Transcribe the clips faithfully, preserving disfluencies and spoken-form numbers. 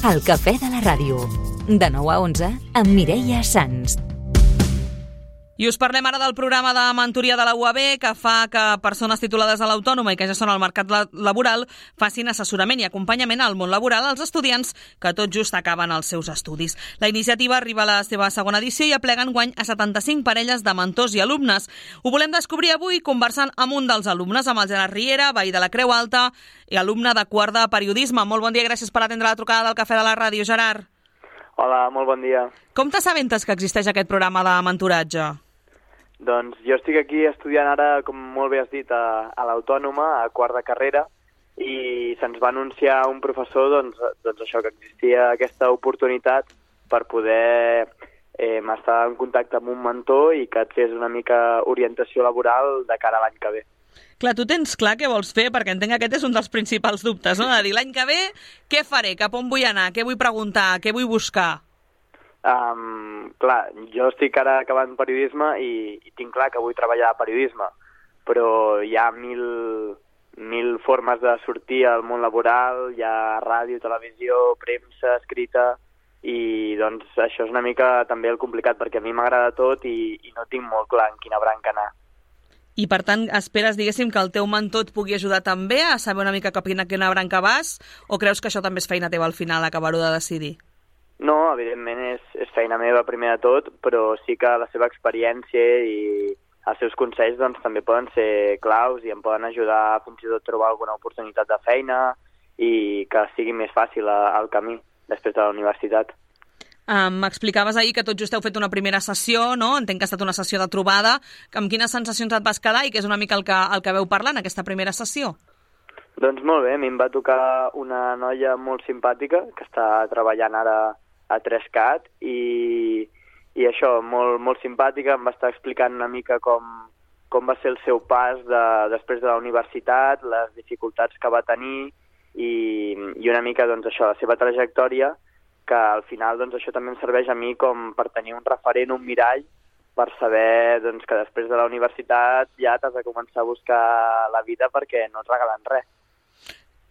El cafè de la ràdio. De nou a onze, amb Mireia Sans. I us parlem ara del programa de mentoria de la U A B que fa que persones titulades a l'Autònoma i que ja són al mercat laboral facin assessorament i acompanyament al món laboral als estudiants que tot just acaben els seus estudis. La iniciativa arriba a la seva segona edició i aplega enguany a setanta-cinc parelles de mentors i alumnes. Ho volem descobrir avui conversant amb un dels alumnes, amb el Gerard Riera, veí de la Creu Alta i alumne de quart de periodisme. Molt bon dia, gràcies per atendre la trucada del Cafè de la Ràdio, Gerard. Hola, molt bon dia. Com t'assabentes que existeix aquest programa de mentoratge? Doncs jo estic aquí estudiant ara, com molt bé has dit, a, a l'Autònoma, a quart de carrera, i se'ns va anunciar un professor doncs, doncs això, que existia aquesta oportunitat per poder eh, estar en contacte amb un mentor i que et fes una mica orientació laboral de cara a l'any que ve. Clar, tu tens clar què vols fer, perquè entenc que aquest és un dels principals dubtes, no? De dir, l'any que ve, què faré, cap on vull anar, què vull preguntar, què vull buscar? Um, clar, jo estic ara acabant periodisme i, i tinc clar que vull treballar a periodisme, però hi ha mil, mil formes de sortir al món laboral, hi ha ràdio, televisió, premsa, escrita, i doncs això és una mica també el complicat, perquè a mi m'agrada tot i, i no tinc molt clar en quina branca anar. I per tant, esperes, diguéssim, que el teu mentor et pugui ajudar també a saber una mica cap a quina branca vas, o creus que això també és feina teva al final, acabar-ho de decidir? No, evidentment és, és feina meva primer de tot, però sí que la seva experiència i els seus consells doncs, també poden ser claus i em poden ajudar fins i tot a trobar alguna oportunitat de feina i que sigui més fàcil el camí després de la universitat. Um, M'explicaves ahir que tot just heu fet una primera sessió, no? Entenc que ha estat una sessió de trobada. Amb quines sensacions et vas quedar i què és una mica el que, el que veu parlar en aquesta primera sessió? Doncs molt bé, a mi em va tocar una noia molt simpàtica que està treballant ara a tres cat i, i això, molt, molt simpàtica, em va estar explicant una mica com, com va ser el seu pas de, després de la universitat, les dificultats que va tenir i, i una mica doncs, això, la seva trajectòria, que al final doncs, això també em serveix a mi com per tenir un referent, un mirall, per saber doncs, que després de la universitat ja t'has de començar a buscar la vida perquè no et regalen res.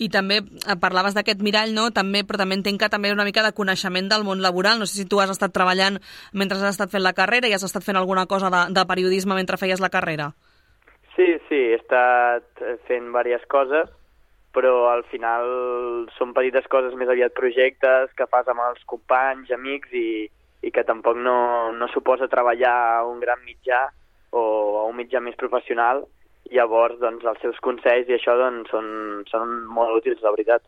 I també parlaves d'aquest mirall, no? També, però també entenc que també una mica de coneixement del món laboral. No sé si tu has estat treballant mentre has estat fent la carrera i has estat fent alguna cosa de, de periodisme mentre feies la carrera. Sí, sí, he estat fent diverses coses, però al final són petites coses, més aviat projectes que fas amb els companys, amics i, i que tampoc no, no suposa treballar a un gran mitjà o a un mitjà més professional. Llavors, doncs, els seus consells i això doncs, són, són molt útils, la veritat.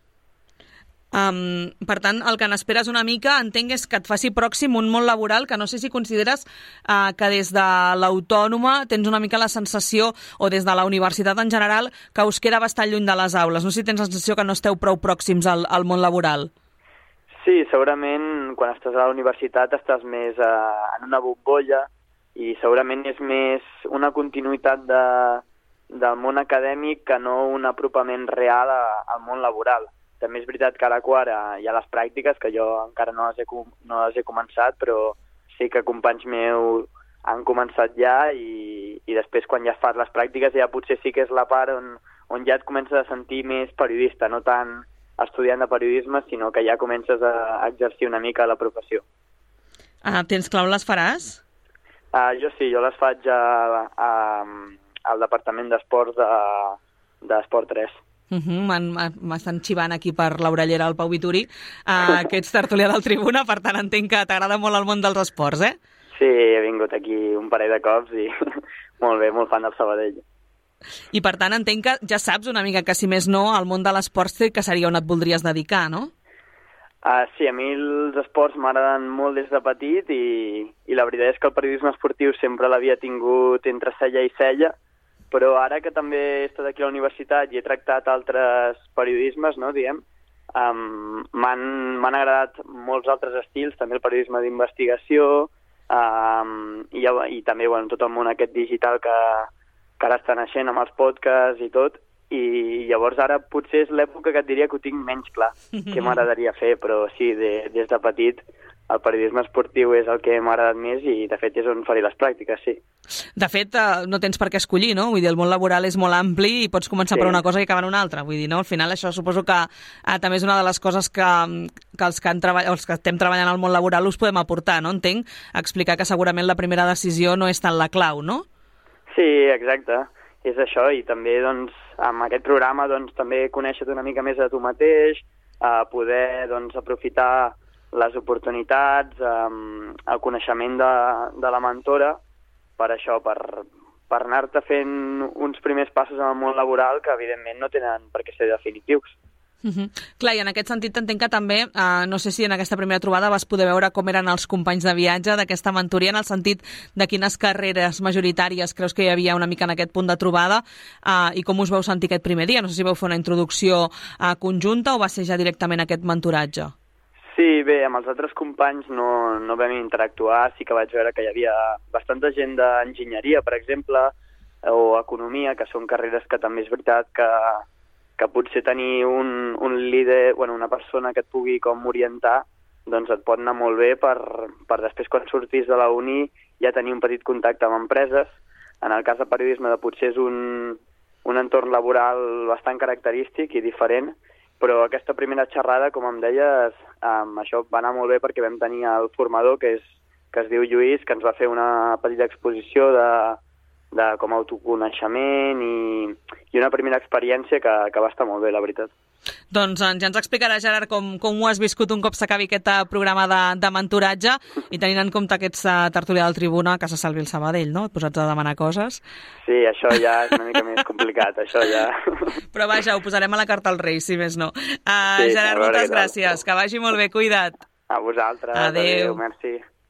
Um, per tant, el que n'esperes una mica, entenc, és que et faci pròxim un món laboral que no sé si consideres uh, que des de l'Autònoma tens una mica la sensació, o des de la universitat en general, que us queda bastant lluny de les aules. No sé si tens la sensació que no esteu prou pròxims al, al món laboral. Sí, segurament quan estàs a la universitat estàs més uh, en una bombolla i segurament és més una continuïtat de, del món acadèmic que no un apropament real a, al món laboral. També és veritat que ara quart hi ha les pràctiques, que jo encara no les he, no les he començat, però sí que companys meus han començat ja i, i després quan ja fas les pràctiques ja potser sí que és la part on, on ja et comences a sentir més periodista, no tant estudiant de periodisme, sinó que ja comences a exercir una mica la professió. Ah, tens clar on les faràs? Uh, jo sí, jo les faig a, a, al Departament d'Esports de, d'Esport tres. Uh -huh, m'estan xivant aquí per l'orellera al Pau Vituri, uh, que ets tertulià del Tribuna, per tant entenc que t'agrada molt el món dels esports, eh? Sí, he vingut aquí un parell de cops i molt bé, molt fan del Sabadell. I per tant entenc que ja saps una mica que si més no el món de l'esport que seria on et voldries dedicar, no? Uh, sí, a mi els esports m'agraden molt des de petit i, i la veritat és que el periodisme esportiu sempre l'havia tingut entre cella i cella, però ara que també he estat aquí a la universitat i he tractat altres periodismes, no, diguem, um, m'han agradat molts altres estils, també el periodisme d'investigació um, i, i també bueno, tot el món aquest digital que, que ara està naixent amb els podcasts i tot, i llavors ara potser és l'època que et diria que ho tinc menys clar, que m'agradaria fer, però sí, de, des de petit el periodisme esportiu és el que m'ha agradat més i, de fet, és on faré les pràctiques, sí. De fet, no tens per què escollir, no? Vull dir, el món laboral és molt ampli i pots començar sí. per una cosa i acabar en una altra. Vull dir, no? Al final, això suposo que eh, també és una de les coses que, que, els, que han treball... els que estem treballant al món laboral us podem aportar, no? Entenc, explicar que segurament la primera decisió no és tant la clau, no? Sí, exacte. És això, i també, doncs, amb aquest programa, doncs, també conèixer-te una mica més a tu mateix, a poder, doncs, aprofitar les oportunitats, um, el coneixement de, de la mentora, per això, per, per anar-te fent uns primers passos en el món laboral que, evidentment, no tenen per què ser definitius. Uh-huh. Clar, i en aquest sentit entenc que també, eh, no sé si en aquesta primera trobada vas poder veure com eren els companys de viatge d'aquesta mentoria, en el sentit de quines carreres majoritàries creus que hi havia una mica en aquest punt de trobada, eh, i com us vau sentir aquest primer dia? No sé si vau fer una introducció eh, conjunta o va ser ja directament aquest mentoratge? Sí, bé, amb els altres companys no, no vam interactuar, sí que vaig veure que hi havia bastanta gent d'enginyeria, per exemple, o economia, que són carreres que també és veritat que, que potser tenir un, un líder, bueno, una persona que et pugui com orientar, doncs et pot anar molt bé per, per després, quan surtis de la uni, ja tenir un petit contacte amb empreses. En el cas de periodisme, de potser és un, un entorn laboral bastant característic i diferent, però aquesta primera xerrada, com em deies, um, això va anar molt bé perquè vam tenir el formador, que, és, que es diu Lluís, que ens va fer una petita exposició de, de com a autoconeixement i, i una primera experiència que, que va estar molt bé, la veritat. Doncs ja ens explicarà, Gerard, com, com ho has viscut un cop s'acabi aquest programa de, de mentoratge i tenint en compte aquests uh, tertúlia del Tribuna, que se salvi el Sabadell, no? Et posats a demanar coses. Sí, això ja és una mica més complicat, això ja... Però vaja, ho posarem a la carta als Reis, si més no. Uh, sí, Gerard, moltes gràcies, que vagi molt bé, cuida't. A vosaltres. Adéu. Adéu, merci.